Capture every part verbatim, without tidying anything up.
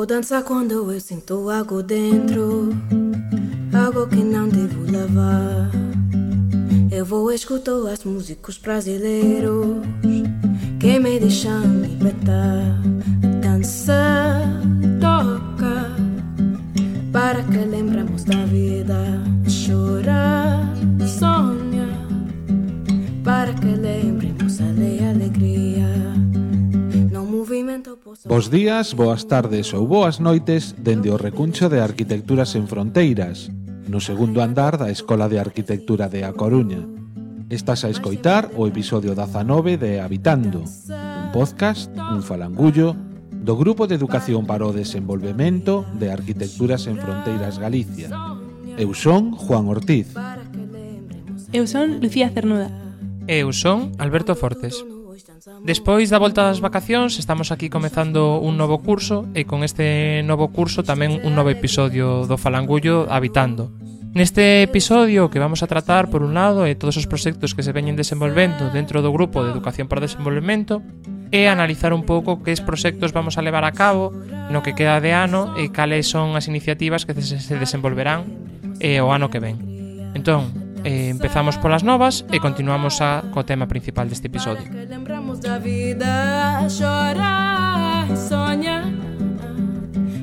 Vou dançar quando eu sinto algo dentro, algo que não devo levar. Eu vou escutar as músicas brasileiros que me deixam libertar. Dança, toca, para que lembremos da vida. Chora, sonha, para que lembremos a alegria. No movimento posso... Bos días, boas tardes ou boas noites dende o recuncho de Arquitecturas en Fronteiras, no segundo andar da Escola de Arquitectura de A Coruña. Estás a escoitar o episodio dezanove de Habitando, un podcast, un falangullo, do Grupo de Educación para o Desenvolvemento de Arquitecturas en Fronteiras Galicia. Eu son Juan Ortiz. Eu son Lucía Cernuda. Eu son Alberto Fortes. Despois da volta das vacacións estamos aquí comezando un novo curso e con este novo curso tamén un novo episodio do Falangullo Habitando. Neste episodio que vamos a tratar, por un lado, é todos os proxectos que se veñen desenvolvendo dentro do Grupo de Educación para o Desenvolvemento e analizar un pouco que proxectos vamos a levar a cabo no que queda de ano e cales son as iniciativas que se desenvolverán eh, o ano que ven. Entón, eh, empezamos polas novas e continuamos a, co tema principal deste episodio. Da vida, chora e sonha,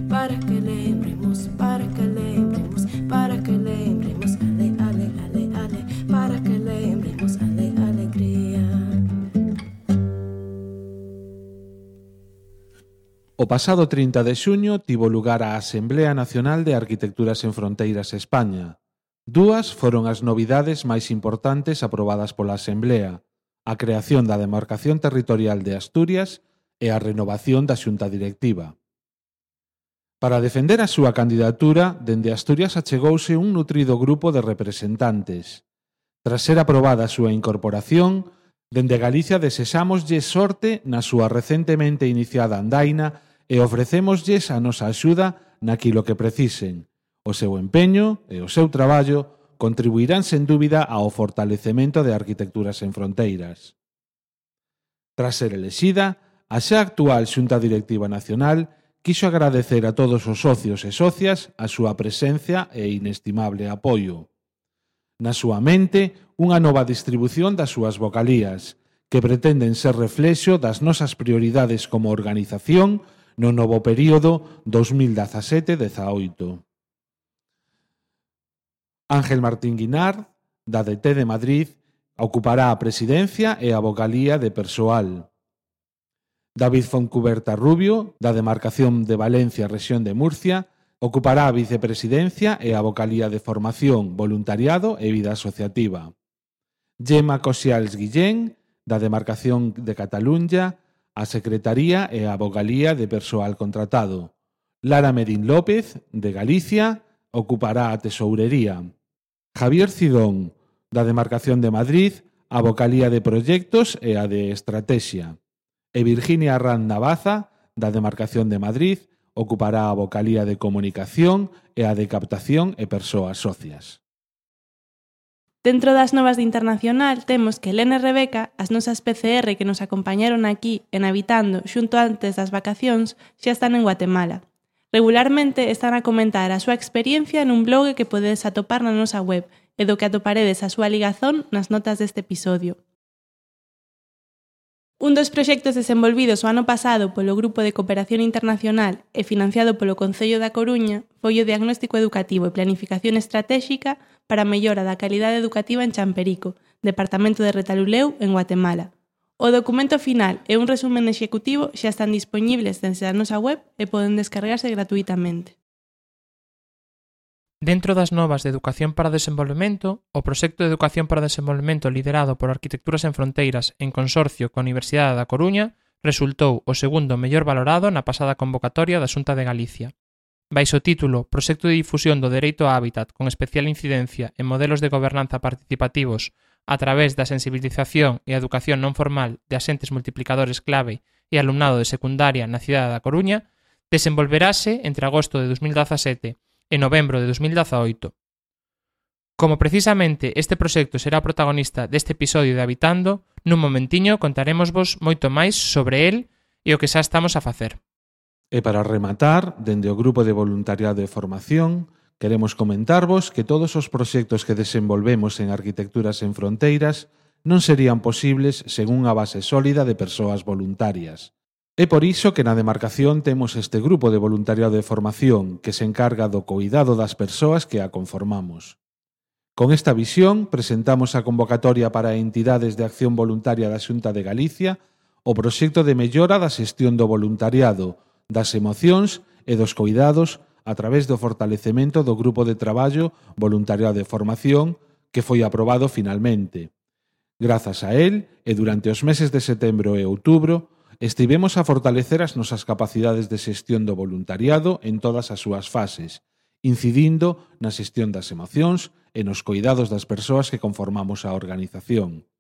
para que lembremos, para que lembremos, para que lembremos, ale, ale, ale, ale, para que lembremos, ale, alegría. O pasado trinta de xuño tivo lugar a Asemblea Nacional de Arquitecturas en Fronteiras España. Dúas foron as novidades máis importantes aprobadas pola Asemblea: a creación da demarcación territorial de Asturias e a renovación da xunta directiva. Para defender a súa candidatura, dende Asturias achegouse un nutrido grupo de representantes. Tras ser aprobada a súa incorporación, dende Galicia desexámoslle sorte na súa recentemente iniciada andaina e ofrecémoslles a nosa axuda naquilo que precisen. O seu empeño e o seu traballo contribuirán sen dúbida ao fortalecemento de Arquitecturas en Fronteiras. Tras ser elexida, a xa actual Xunta Directiva Nacional quixo agradecer a todos os socios e socias a súa presencia e inestimable apoio. Na súa mente, unha nova distribución das súas vocalías, que pretenden ser reflexo das nosas prioridades como organización no novo período dos mil dezasete dezaoito. Ángel Martín Guinard, da D T de Madrid, ocupará a presidencia e a vocalía de persoal. David Foncuberta Rubio, da demarcación de Valencia, rexión de Murcia, ocupará a vicepresidencia e a vocalía de formación, voluntariado e vida asociativa. Gemma Cosials Guillén, da demarcación de Cataluña, a secretaría e a vocalía de persoal contratado. Lara Medín López, de Galicia, ocupará a tesourería. Javier Cidón, da demarcación de Madrid, a vocalía de proxectos e a de estrategia. E Virginia Arrán Navaza, da demarcación de Madrid, ocupará a vocalía de comunicación e a de captación e persoas socias. Dentro das novas de Internacional temos que Helena e Rebeca, as nosas P C R que nos acompañaron aquí en Habitando xunto antes das vacacións, xa están en Guatemala. Regularmente están a comentar a súa experiencia nun blog que podedes atopar na nosa web e do que atoparedes a súa ligazón nas notas deste episodio. Un dos proxectos desenvolvidos o ano pasado polo Grupo de Cooperación Internacional e financiado polo Concello da Coruña foi o Diagnóstico Educativo e Planificación Estratéxica para a mellora da calidade educativa en Champerico, departamento de Retalhuleu, en Guatemala. O documento final e un resumen executivo xa están dispoñibles desde a nosa web e poden descargarse gratuitamente. Dentro das novas de Educación para o Desenvolvemento, o proxecto de Educación para o Desenvolvemento liderado por Arquitecturas en Fronteiras en consorcio coa Universidade da Coruña resultou o segundo mellor valorado na pasada convocatoria da Xunta de Galicia. Baixo o título Proxecto de difusión do dereito á hábitat con especial incidencia en modelos de gobernanza participativos a través da sensibilización e a educación non formal de axentes multiplicadores clave e alumnado de secundaria na cidade da Coruña, desenvolverase entre agosto de dos mil dezasete e novembro de dos mil dezaoito. Como precisamente este proxecto será protagonista deste episodio de Habitando, nun momentiño contarémosvos moito máis sobre el e o que xa estamos a facer. E para rematar, dende o Grupo de Voluntariado e Formación, queremos comentarvos que todos os proxectos que desenvolvemos en Arquitecturas en Fronteiras non serían posibles sen unha base sólida de persoas voluntarias. É por iso que na demarcación temos este grupo de voluntariado de formación que se encarga do coidado das persoas que a conformamos. Con esta visión, presentamos a convocatoria para entidades de acción voluntaria da Xunta de Galicia o proxecto de mellora da xestión do voluntariado, das emocións e dos coidados a través do fortalecemento do grupo de traballo voluntariado de formación que foi aprobado finalmente. Grazas a él, e durante os meses de setembro e outubro, estivemos a fortalecer as nosas capacidades de xestión do voluntariado en todas as súas fases, incidindo na xestión das emocións e nos coidados das persoas que conformamos a organización.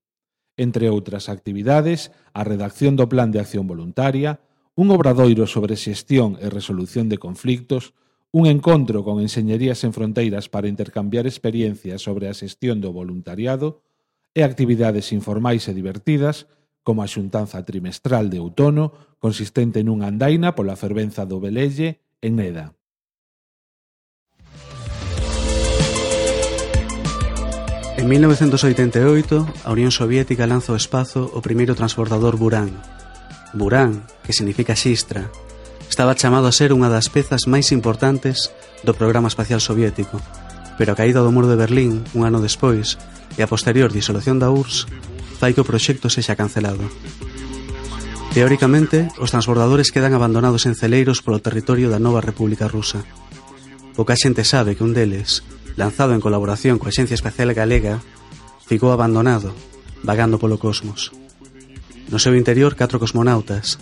Entre outras actividades, a redacción do Plan de Acción Voluntaria, un obradoiro sobre xestión e resolución de conflictos, un encontro con Enxeñerías en Fronteiras para intercambiar experiencias sobre a xestión do voluntariado e actividades informais e divertidas, como a xuntanza trimestral de outono, consistente nunha andaina pola fervenza do Velelle en Neda. En mil novecentos oitenta e oito, a Unión Soviética lanza ao espazo o primeiro transbordador Buran. Buran, que significa xistra, estaba chamado a ser unha das pezas máis importantes do programa espacial soviético, pero a caída do muro de Berlín, un ano despois, e a posterior disolución da U R S S, fai que o proxecto sexa cancelado. Teóricamente, os transbordadores quedan abandonados en celeiros polo territorio da nova República Rusa. Pouca xente sabe que un deles, lanzado en colaboración coa Axencia Espacial Galega, ficou abandonado, vagando polo cosmos. No seu interior, catro cosmonautas,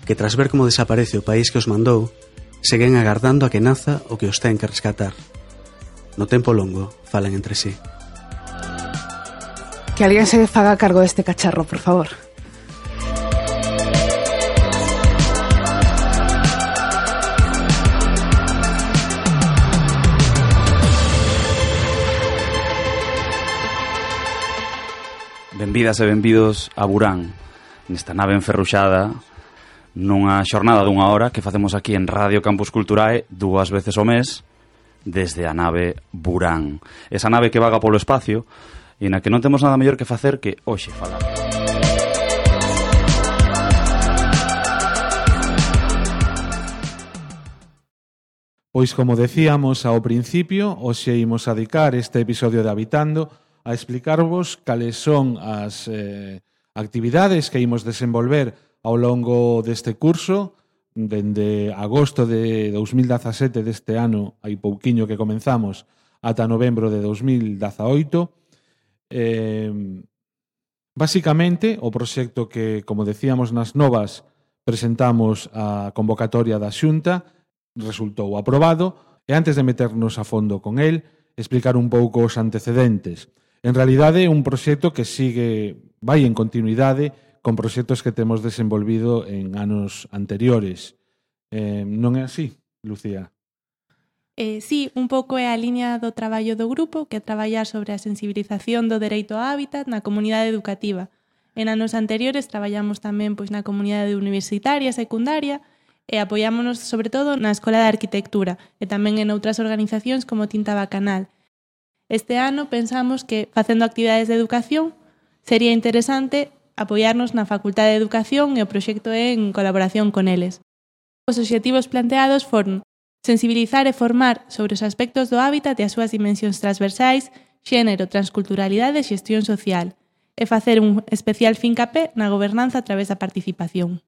que tras ver como desaparece o país que os mandou, seguen agardando a que naza o que os ten que rescatar. No tempo longo, falan entre sí. Que alguén se faga cargo deste cacharro, por favor. Benvidas e benvidos a Buran, nesta nave enferruxada, nunha xornada dunha hora que facemos aquí en Radio Campus Culturae dúas veces ao mes, desde a nave Buran. Esa nave que vaga polo espacio e na que non temos nada mellor que facer que hoxe falar. Pois como decíamos ao principio, hoxe imos a dedicar este episodio de Habitando a explicarvos cales son as eh, actividades que imos desenvolver ao longo deste curso, dende agosto de dos mil dezasete deste ano, hai pouquiño que comenzamos, ata novembro de dos mil dezaoito. Eh, basicamente, o proxecto que, como decíamos nas novas, presentamos a convocatoria da Xunta, resultou aprobado, e antes de meternos a fondo con el, explicar un pouco os antecedentes. En realidade, é un proxecto que sigue, vai en continuidade con proxectos que temos desenvolvido en anos anteriores. Eh, non é así, Lucía? Eh, sí, un pouco é a liña do traballo do grupo, que é traballar sobre a sensibilización do dereito ao hábitat na comunidade educativa. En anos anteriores traballamos tamén pois na comunidade universitaria, secundaria, e apoiámonos sobre todo na Escola de Arquitectura e tamén en outras organizacións como Tinta Bacanal. Este ano pensamos que, facendo actividades de educación, sería interesante apoiarnos na Facultade de Educación e o proxecto é en colaboración con eles. Os obxectivos planteados foron sensibilizar e formar sobre os aspectos do hábitat e as súas dimensións transversais, xénero, transculturalidade e xestión social, e facer un especial fincapé na gobernanza a través da participación.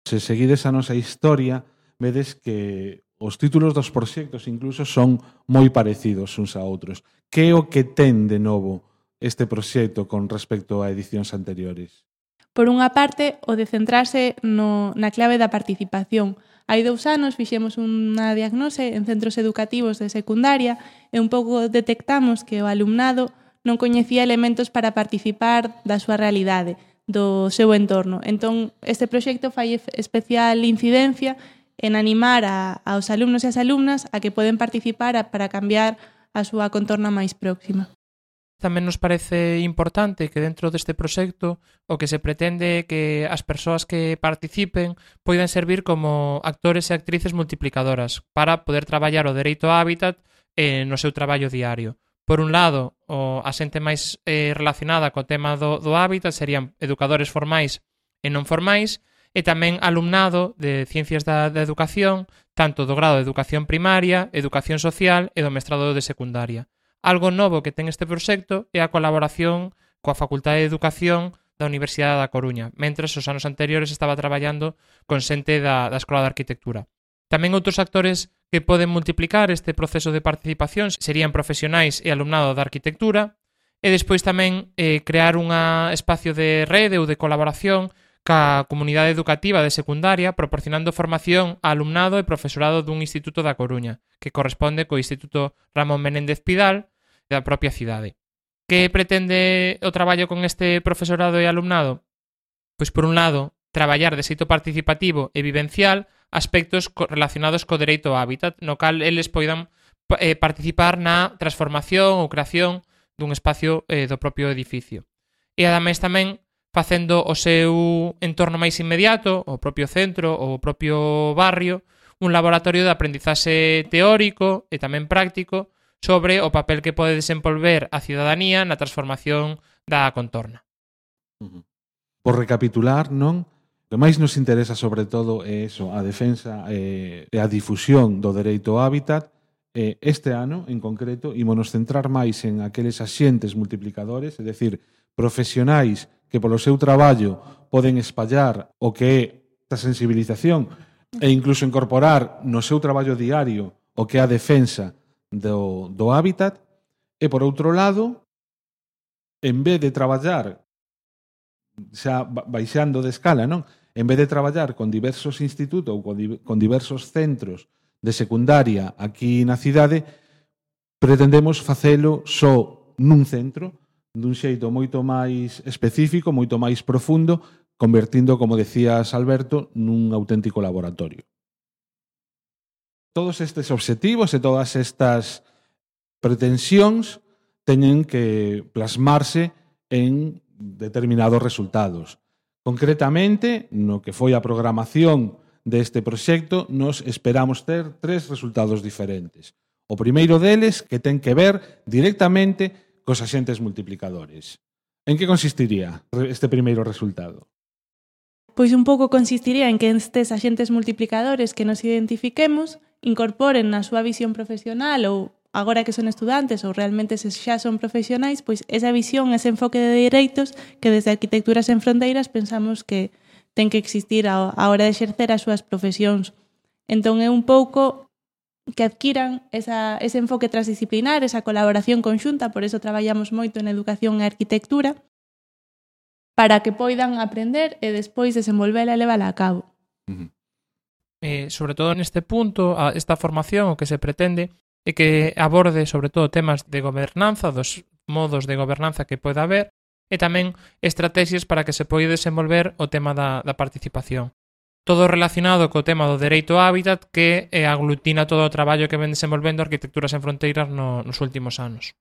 Se seguides a nosa historia, vedes que os títulos dos proxectos incluso son moi parecidos uns a outros. Que é o que ten de novo este proxecto con respecto a edicións anteriores? Por unha parte, o de centrarse no, na clave da participación. Hai dous anos fixemos unha diagnose en centros educativos de secundaria e un pouco detectamos que o alumnado non coñecía elementos para participar da súa realidade, do seu entorno. Entón, este proxecto fai especial incidencia en animar a, aos alumnos e as alumnas a que poden participar a, para cambiar a súa contorna máis próxima. Tamén nos parece importante que dentro deste proxecto o que se pretende que as persoas que participen poidan servir como actores e actrices multiplicadoras para poder traballar o dereito ao hábitat eh, no seu traballo diario. Por un lado, o, a xente máis eh, relacionada co tema do, do hábitat serían educadores formais e non formais, e tamén alumnado de Ciencias da, da Educación, tanto do grado de Educación Primaria, Educación Social e do mestrado de Secundaria. Algo novo que ten este proxecto é a colaboración coa Facultade de Educación da Universidade da Coruña, mentres os anos anteriores estaba traballando con xente da, da Escola de Arquitectura. Tamén outros actores que poden multiplicar este proceso de participación serían profesionais e alumnado da arquitectura, e despois tamén eh, crear un espacio de rede ou de colaboración ca comunidade educativa de secundaria, proporcionando formación a alumnado e profesorado dun instituto da Coruña, que corresponde co Instituto Ramón Menéndez Pidal da propia cidade. Que pretende o traballo con este profesorado e alumnado? Pois, por un lado, traballar de xeito participativo e vivencial aspectos relacionados co dereito ao hábitat, no cal eles poidan eh, participar na transformación ou creación dun espacio eh, do propio edificio. E ademais tamén facendo o seu entorno máis inmediato, o propio centro ou o propio barrio, un laboratorio de aprendizaxe teórico e tamén práctico sobre o papel que pode desenvolver a cidadanía na transformación da contorna. Por recapitular, non? O que máis nos interesa sobre todo é eso, a defensa e a difusión do dereito ao hábitat. Este ano, en concreto, ímonos centrar máis en aqueles axentes multiplicadores, é dicir, profesionais que polo seu traballo poden espallar o que é esta sensibilización e incluso incorporar no seu traballo diario o que é a defensa do, do hábitat. E, por outro lado, en vez de traballar xa baixando de escala, non? En vez de traballar con diversos institutos ou con, di, con diversos centros de secundaria aquí na cidade, pretendemos facelo só nun centro, dun xeito moito máis específico, moito máis profundo, convertindo, como decías, Alberto, nun auténtico laboratorio. Todos estes obxectivos e todas estas pretensións teñen que plasmarse en determinados resultados. Concretamente, no que foi a programación deste proxecto, nos esperamos ter tres resultados diferentes. O primeiro deles, que ten que ver directamente cos axentes multiplicadores. En que consistiría este primeiro resultado? Pois un pouco consistiría en que estes axentes multiplicadores que nos identifiquemos incorporen na súa visión profesional ou agora que son estudantes ou realmente se xa son profesionais, pois esa visión, ese enfoque de dereitos que desde Arquitecturas Sen Fronteiras pensamos que ten que existir a hora de exercer as súas profesións. Entón é un pouco que adquiran esa, ese enfoque transdisciplinar, esa colaboración conxunta, por eso traballamos moito en educación e arquitectura, para que poidan aprender e despois desenvolvela e levala a cabo. Uh-huh. Eh, sobre todo neste punto, a esta formación o que se pretende é que aborde sobre todo temas de gobernanza, dos modos de gobernanza que pode haber, e tamén estrategias para que se poida desenvolver o tema da, da participación. Todo relacionado co tema do dereito ao hábitat que eh, aglutina todo o traballo que ven desenvolvendo Arquitecturas Sen Fronteiras no, nos últimos anos.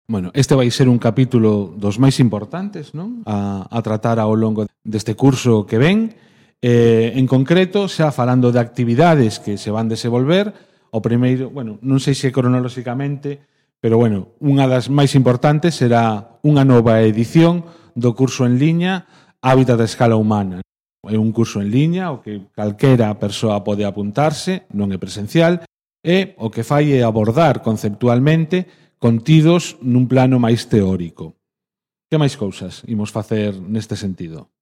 Bueno, este vai ser un capítulo dos máis importantes, non? A, a tratar ao longo deste curso que ven. Eh, en concreto, xa falando de actividades que se van desenvolver, o primeiro, bueno, non sei se cronolóxicamente, pero, bueno, unha das máis importantes será unha nova edición do curso en liña Hábitat a escala humana. É un curso en liña, o que calquera persoa pode apuntarse, non é presencial, e o que fai é abordar conceptualmente contidos nun plano máis teórico. Que máis cousas imos facer neste sentido?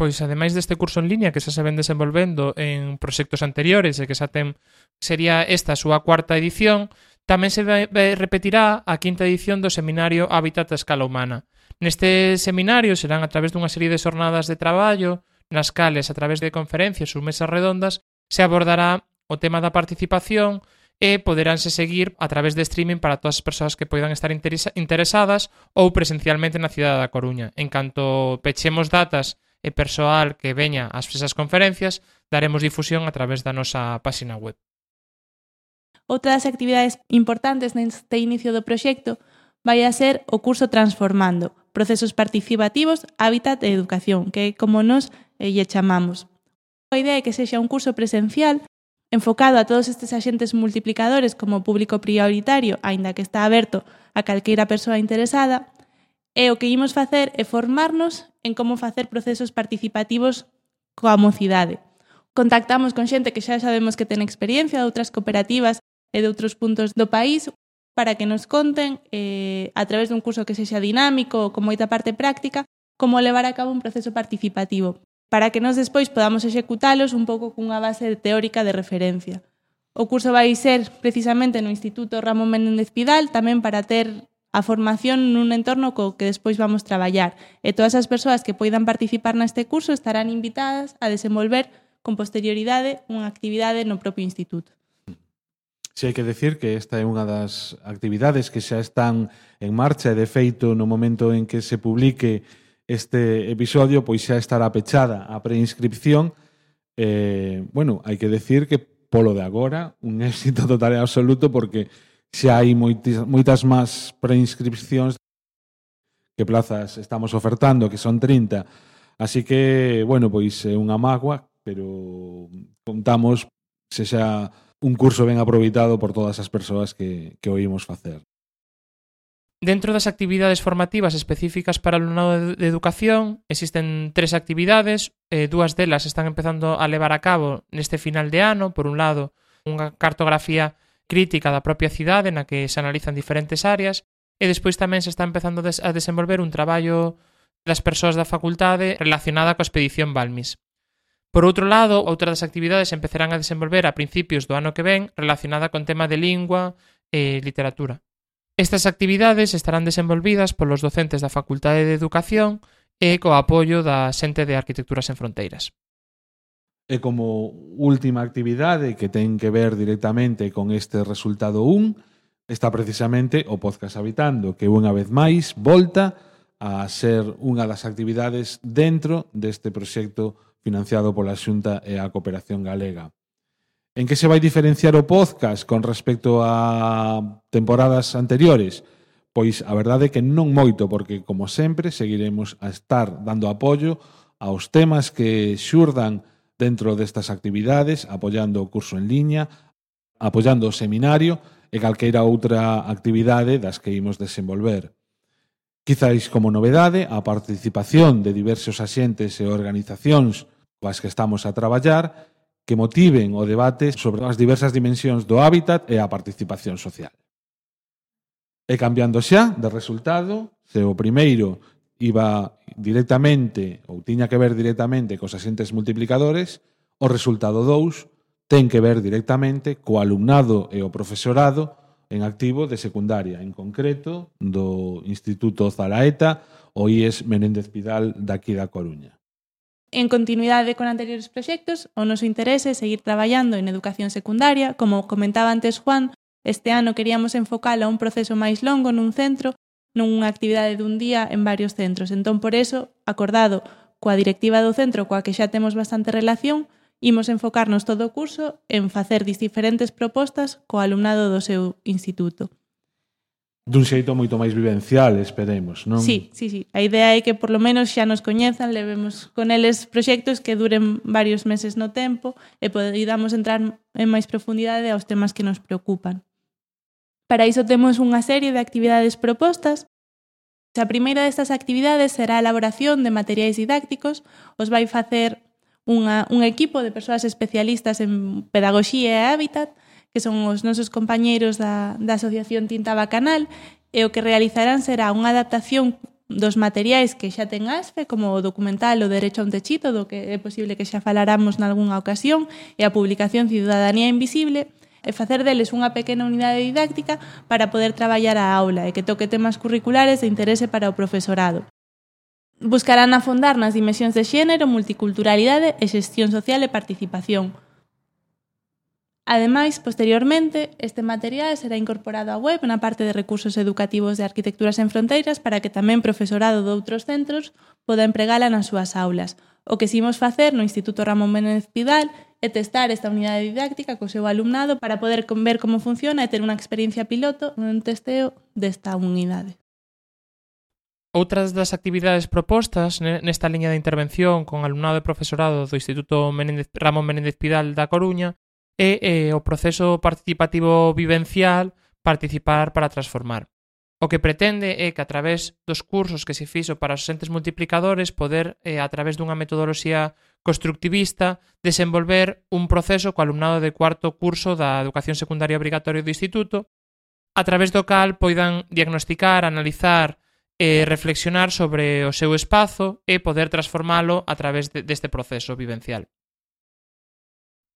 Pois, ademais deste curso en liña que xa se ven desenvolvendo en proxectos anteriores e que xa ten, sería esta a súa cuarta edición, tamén se repetirá a quinta edición do seminario Hábitat a escala humana. Neste seminario serán a través dunha serie de xornadas de traballo, nas cales, a través de conferencias ou mesas redondas, se abordará o tema da participación e poderánse seguir a través de streaming para todas as persoas que poidan estar interesadas ou presencialmente na cidade da Coruña. En canto pechemos datas e persoal que veña ás esas conferencias, daremos difusión a través da nosa páxina web. Outra das actividades importantes neste inicio do proxecto vai a ser o curso Transformando, procesos participativos, hábitat e educación, que é como nos eh, lle chamamos. A idea é que sexa un curso presencial enfocado a todos estes axentes multiplicadores como público prioritario, aínda que está aberto a calqueira persoa interesada, e o que imos facer é formarnos en como facer procesos participativos coa mocidade. Contactamos con xente que xa sabemos que ten experiencia de outras cooperativas e de outros puntos do país para que nos conten, eh, a través dun curso que sexa dinámico, con moita parte práctica, como levar a cabo un proceso participativo, para que nos despois podamos executalos un pouco cunha base teórica de referencia. O curso vai ser precisamente no Instituto Ramón Menéndez Pidal, tamén para ter a formación nun entorno co que despois vamos traballar. E todas as persoas que poidan participar neste curso estarán invitadas a desenvolver con posterioridade unha actividade no propio instituto. Si hai que decir que esta é unha das actividades que xa están en marcha e, de feito, no momento en que se publique este episodio, pois xa estará pechada a preinscripción. Eh, bueno, hai que decir que, polo de agora, un éxito total e absoluto, porque xa hai moitas, moitas máis preinscripcións que plazas estamos ofertando, que son trinta. Así que, bueno, pois é unha mágoa, pero contamos se xa un curso ben aproveitado por todas as persoas que, que oímos facer. Dentro das actividades formativas específicas para o alumnado de educación existen tres actividades, eh, dúas delas están empezando a levar a cabo neste final de ano. Por un lado, unha cartografía crítica da propia cidade na que se analizan diferentes áreas, e despois tamén se está empezando a desenvolver un traballo das persoas da facultade relacionada coa expedición Balmis. Por outro lado, outras das actividades empezarán a desenvolver a principios do ano que ven relacionada con tema de lingua e literatura. Estas actividades estarán desenvolvidas polos docentes da Facultade de Educación e co apoio da xente de Arquitecturas Sen Fronteiras. E como última actividade que ten que ver directamente con este resultado un, está precisamente o Podcast Habitando, que unha vez máis volta a ser unha das actividades dentro deste proxecto financiado pola Xunta e a Cooperación Galega. En que se vai diferenciar o podcast con respecto a temporadas anteriores? Pois a verdade é que non moito, porque, como sempre, seguiremos a estar dando apoio aos temas que xurdan dentro destas actividades, apoiando o curso en liña, apoiando o seminario e calqueira outra actividade das que imos desenvolver. Quizáis como novedade a participación de diversos axentes e organizacións coas que estamos a traballar que motiven o debate sobre as diversas dimensións do hábitat e a participación social. E cambiando xa de resultado, se o primeiro iba directamente ou tiña que ver directamente cos axentes multiplicadores, o resultado dous ten que ver directamente co alumnado e o profesorado en activo de secundaria, en concreto do Instituto Zalaeta, o I E S Menéndez Pidal daqui da Coruña. En continuidade con anteriores proxectos, o noso interese é seguir traballando en educación secundaria. Como comentaba antes Juan, este ano queríamos enfocar a un proceso máis longo nun centro, nunha actividade dun día en varios centros. Entón, por eso, acordado coa directiva do centro, coa que xa temos bastante relación, imos enfocarnos todo o curso en facer diferentes propostas co alumnado do seu instituto. Dun xeito moito máis vivencial, esperemos, non? Sí, sí, sí. A idea é que por lo menos xa nos coñezan, levemos con eles proxectos que duren varios meses no tempo e podamos entrar en máis profundidade aos temas que nos preocupan. Para iso temos unha serie de actividades propostas. A primeira destas actividades será a elaboración de materiais didácticos. Os vai facer unha, un equipo de persoas especialistas en pedagogía e hábitat, que son os nosos compañeiros da, da Asociación Tinta Bacanal, e o que realizarán será unha adaptación dos materiais que xa ten A S F E, como o documental O Derecho a un Techito, do que é posible que xa faláramos nalgúnha ocasión, e a publicación Ciudadanía Invisible, e facer deles unha pequena unidade didáctica para poder traballar a aula e que toque temas curriculares de interese para o profesorado. Buscarán afondar nas dimensións de xénero, multiculturalidade e xestión social e participación. Ademais, posteriormente, este material será incorporado á web na parte de recursos educativos de Arquitecturas Sen Fronteiras para que tamén profesorado de outros centros poda empregala nas súas aulas. O que simos facer no Instituto Ramón Menéndez Pidal e testar esta unidade didáctica co seu alumnado para poder ver como funciona e ter unha experiencia piloto nun testeo desta unidade. Outras das actividades propostas nesta liña de intervención con alumnado e profesorado do Instituto Menéndez, Ramón Menéndez Pidal da Coruña é, é o proceso participativo vivencial Participar para Transformar. O que pretende é que a través dos cursos que se fixo para os entes multiplicadores poder, eh, a través dunha metodoloxía constructivista, desenvolver un proceso co alumnado de cuarto curso da educación secundaria obrigatoria do Instituto, a través do cal poidan diagnosticar, analizar e reflexionar sobre o seu espazo e poder transformalo a través de, deste proceso vivencial.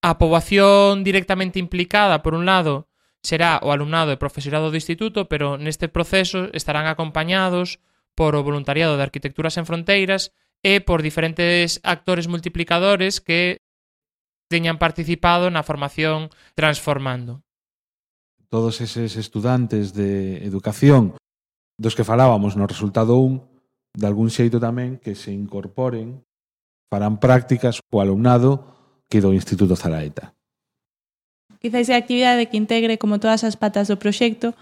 A poboación directamente implicada, por un lado, será o alumnado e profesorado do instituto, pero neste proceso estarán acompañados por o voluntariado de Arquitecturas en Fronteiras e por diferentes actores multiplicadores que teñan participado na formación Transformando. Todos eses estudantes de educación dos que falábamos no resultado un, de algún xeito tamén que se incorporen, farán prácticas co alumnado que do Instituto Zalaeta. Quizais a actividade que integre como todas as patas do proxecto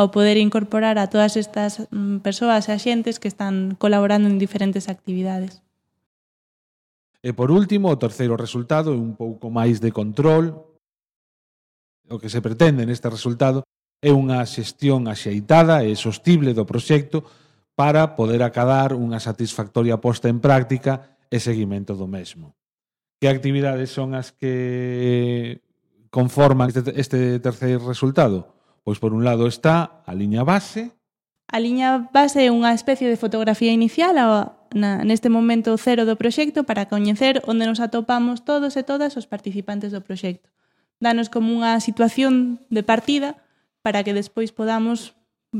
ao poder incorporar a todas estas persoas e axentes que están colaborando en diferentes actividades. E por último, o terceiro resultado é un pouco máis de control. O que se pretende neste resultado é unha xestión axeitada e sostible do proxecto para poder acadar unha satisfactoria posta en práctica e seguimento do mesmo. Que actividades son as que conforman este, este terceiro resultado? Pois por un lado está a liña base. A liña base é unha especie de fotografía inicial a, na, neste momento cero do proxecto para coñecer onde nos atopamos todos e todas os participantes do proxecto. Danos como unha situación de partida para que despois podamos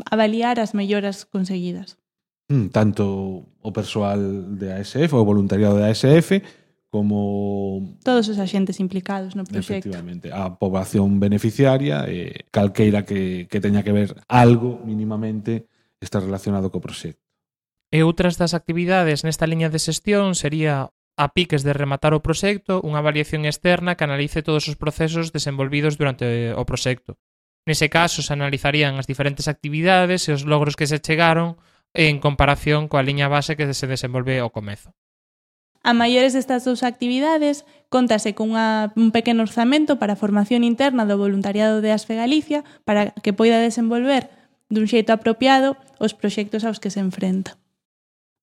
avaliar as melloras conseguidas. Mm, tanto o persoal de A S F, o voluntariado de A S F, como todos os axentes implicados no proxecto. Efectivamente, a poboación beneficiaria e calqueira que, que teña que ver algo mínimamente está relacionado co proxecto. E outras das actividades nesta liña de xestión sería a piques de rematar o proxecto, unha avaliación externa que analice todos os procesos desenvolvidos durante o proxecto. Nese caso se analizarían as diferentes actividades e os logros que se chegaron en comparación coa liña base que se desenvolve ao comezo. A maiores destas dúas actividades, contase con unha, un pequeno orzamento para a formación interna do voluntariado de ASFE Galicia para que poida desenvolver dun xeito apropiado os proxectos aos que se enfrenta.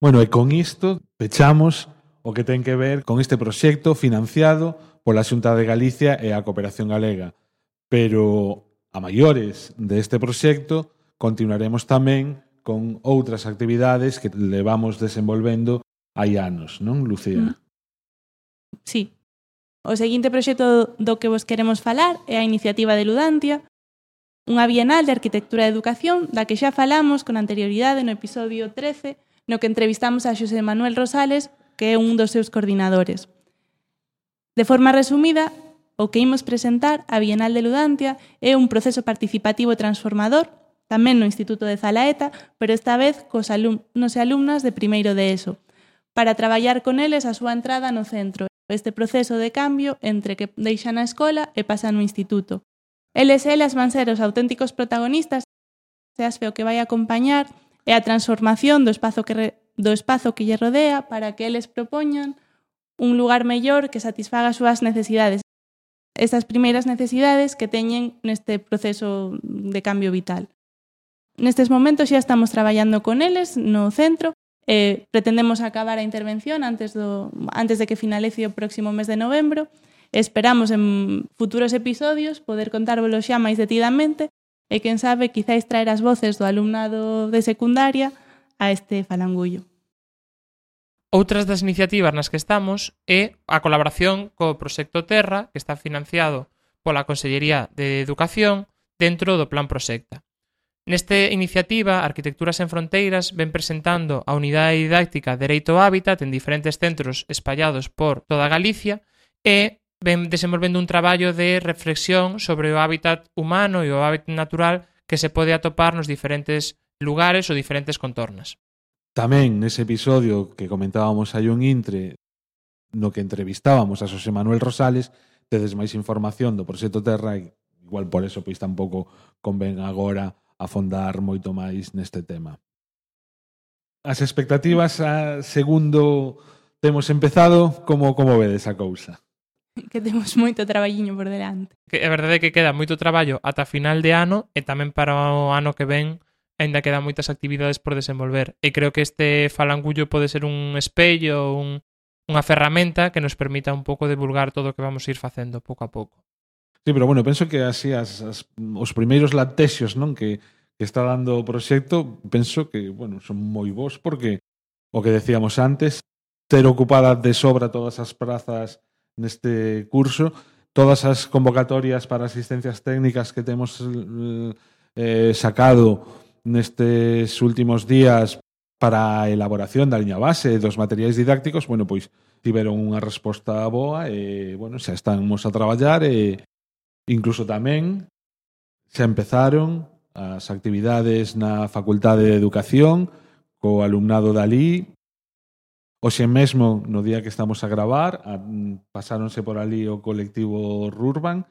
Bueno, e con isto pechamos o que ten que ver con este proxecto financiado pola Xunta de Galicia e a Cooperación Galega. Pero a maiores deste proxecto continuaremos tamén con outras actividades que levamos desenvolvendo hai anos, non, Lucía? Sí. O seguinte proxecto do que vos queremos falar é a iniciativa de Ludantia, unha bienal de arquitectura e educación da que xa falamos con anterioridade no episodio trece, no que entrevistamos a Xosé Manuel Rosales, que é un dos seus coordinadores. De forma resumida, o que imos presentar a Bienal de Ludantia é un proceso participativo e transformador, tamén no Instituto de Zalaeta, pero esta vez cos alumnos e alumnas de primeiro de ESO, para traballar con eles a súa entrada no centro, este proceso de cambio entre que deixan a escola e pasan no instituto. Eles e elas van ser os auténticos protagonistas, e ASFE o que vai acompañar é a transformación do espazo que, re, do espazo que lle rodea para que eles propoñan un lugar mellor que satisfaga as súas necesidades, estas primeiras necesidades que teñen neste proceso de cambio vital. Nestes momentos xa estamos traballando con eles no centro. Eh, pretendemos acabar a intervención antes, do, antes de que finalice o próximo mes de novembro. Esperamos en futuros episodios poder contárvolo xa máis detidamente e, quen sabe, quizáis traer as voces do alumnado de secundaria a este falangullo. Outras das iniciativas nas que estamos é a colaboración co Proxecto Terra, que está financiado pola Consellería de Educación dentro do Plan Proxecta. Nesta iniciativa, Arquitecturas en Fronteiras ven presentando a unidade didáctica Dereito ao Hábitat en diferentes centros espallados por toda Galicia e ven desenvolvendo un traballo de reflexión sobre o hábitat humano e o hábitat natural que se pode atopar nos diferentes lugares ou diferentes contornas. Tamén nese episodio que comentábamos hai un intre no que entrevistábamos a Xosé Manuel Rosales, tedes máis información do proxecto Terra e igual por eso pois tampouco convén agora afondar moito máis neste tema. As expectativas a segundo temos empezado, como como vedes a cousa? Que temos moito traballiño por delante. Que é verdade que queda moito traballo ata final de ano e tamén para o ano que ven aínda quedan moitas actividades por desenvolver. E creo que este falangullo pode ser un espello, un, unha ferramenta que nos permita un pouco divulgar todo o que vamos a ir facendo pouco a pouco. Sí, pero bueno, penso que así as, as, os primeiros latexos, non, que, que está dando o proxecto, penso que, bueno, son moi bons porque o que decíamos antes, ter ocupada de sobra todas as prazas neste curso, todas as convocatorias para asistencias técnicas que temos eh, sacado nestes últimos días para a elaboración da liña base dos materiais didácticos, bueno, pois tiveron unha resposta boa e, bueno, xa estamos a traballar e incluso tamén xa empezaron as actividades na Facultade de Educación co alumnado dali. Hoxe mesmo, no día que estamos a gravar, a, pasáronse por ali o colectivo Rurban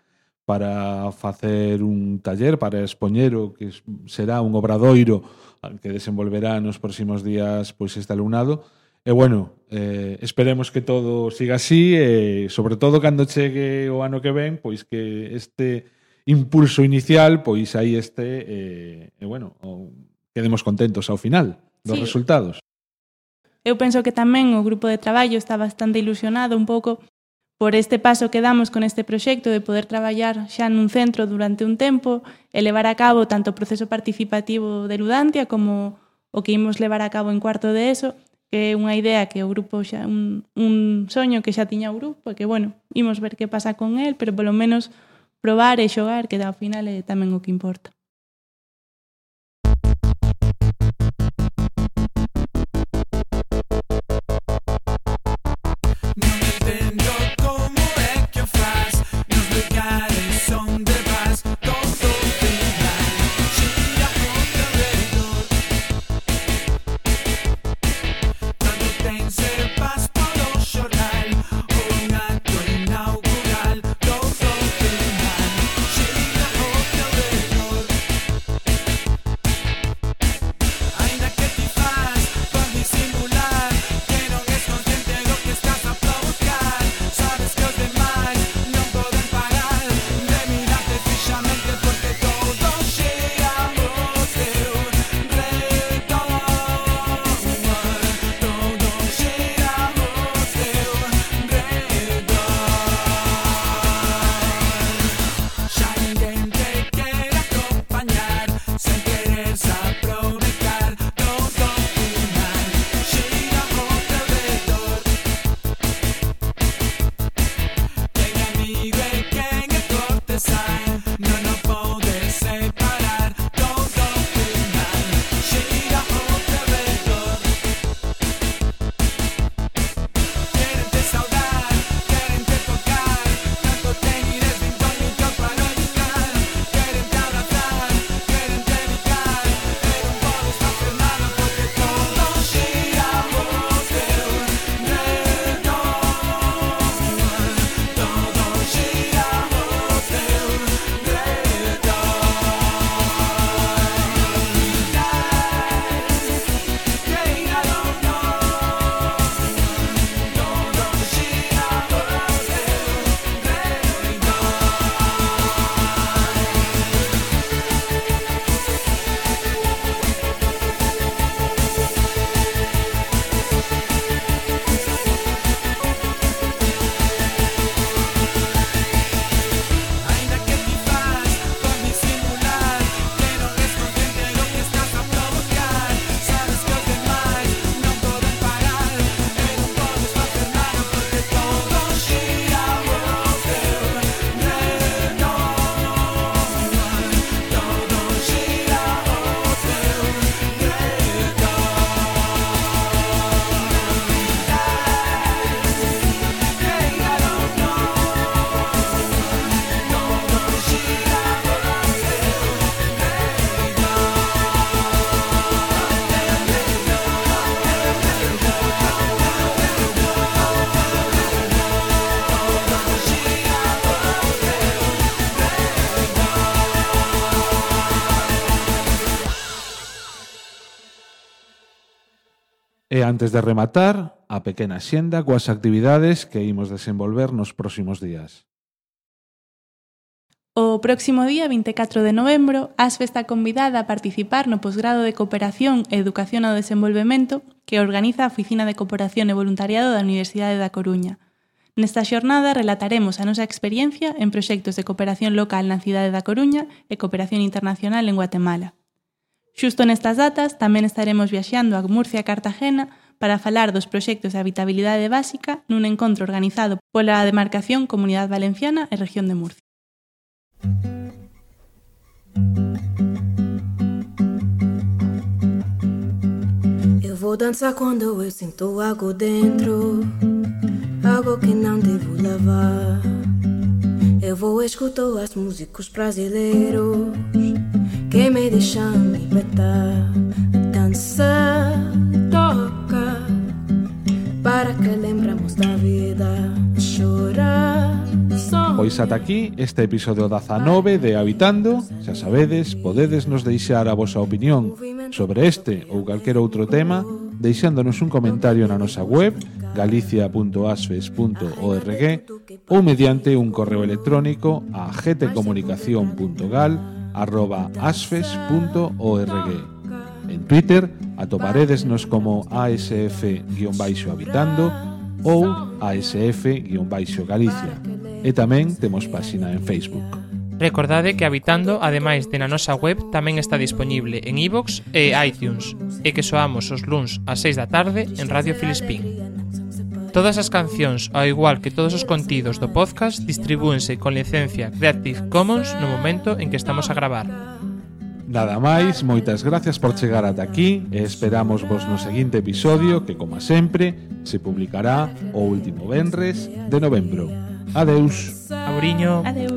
para facer un taller, para expoñer o que será un obradoiro que desenvolverá nos próximos días pois este alumnado. E, bueno, eh, esperemos que todo siga así e, sobre todo, cando chegue o ano que ven, pois que este impulso inicial, pois aí este, e, e bueno, o, quedemos contentos ao final dos Sí. resultados. Eu penso que tamén o grupo de traballo está bastante ilusionado un pouco por este paso que damos con este proxecto de poder traballar xa nun centro durante un tempo e levar a cabo tanto o proceso participativo de Ludantia como o que imos levar a cabo en cuarto de ESO, que é unha idea que o grupo xa, un, un soño que xa tiña o grupo, que, bueno, imos ver que pasa con el, pero polo menos probar e xogar, que ao final é tamén o que importa. E antes de rematar, a pequena xenda coas actividades que imos desenvolver nos próximos días. O próximo día vinte e catro de novembro, Asfe está convidada a participar no posgrado de Cooperación e Educación ao Desenvolvemento que organiza a Oficina de Cooperación e Voluntariado da Universidade da Coruña. Nesta xornada relataremos a nosa experiencia en proxectos de cooperación local na cidade da Coruña e cooperación internacional en Guatemala. Xusto nestas datas tamén estaremos viaxando a Murcia e Cartagena para falar dos proxectos de habitabilidade básica nun encontro organizado pola demarcación Comunidade Valenciana e Región de Murcia. Eu vou dançar quando eu sinto algo dentro, algo que não devo levar. Eu vou escutar as músicos brasileiros que me deixam libertar. Dança, toca, para que lembramos da vida. Chorar, sonhar. Pois ata aquí este episodio dezanove de Habitando. Xa sabedes, podedes nos deixar a vosa opinión sobre este ou calquer outro tema deixándonos un comentario na nosa web galicia punto asfes punto org ou mediante un correo electrónico a gtcomunicación punto gal arroba asfes punto org. En Twitter atoparedesnos como asf-habitando ou asf-galicia e tamén temos páxina en Facebook. Recordade que Habitando, ademais de na nosa web, tamén está dispoñible en iVoox e iTunes e que soamos os luns ás seis da tarde en Radio Filispín. Todas as cancións, ao igual que todos os contidos do podcast, distribúense con licencia Creative Commons no momento en que estamos a gravar. Nada máis, moitas gracias por chegar ata aquí e esperamos vos no seguinte episodio que, como sempre, se publicará o último venres de novembro. Adeus. Auriño. Adeus.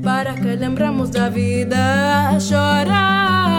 Para que lembramos da vida, chorar.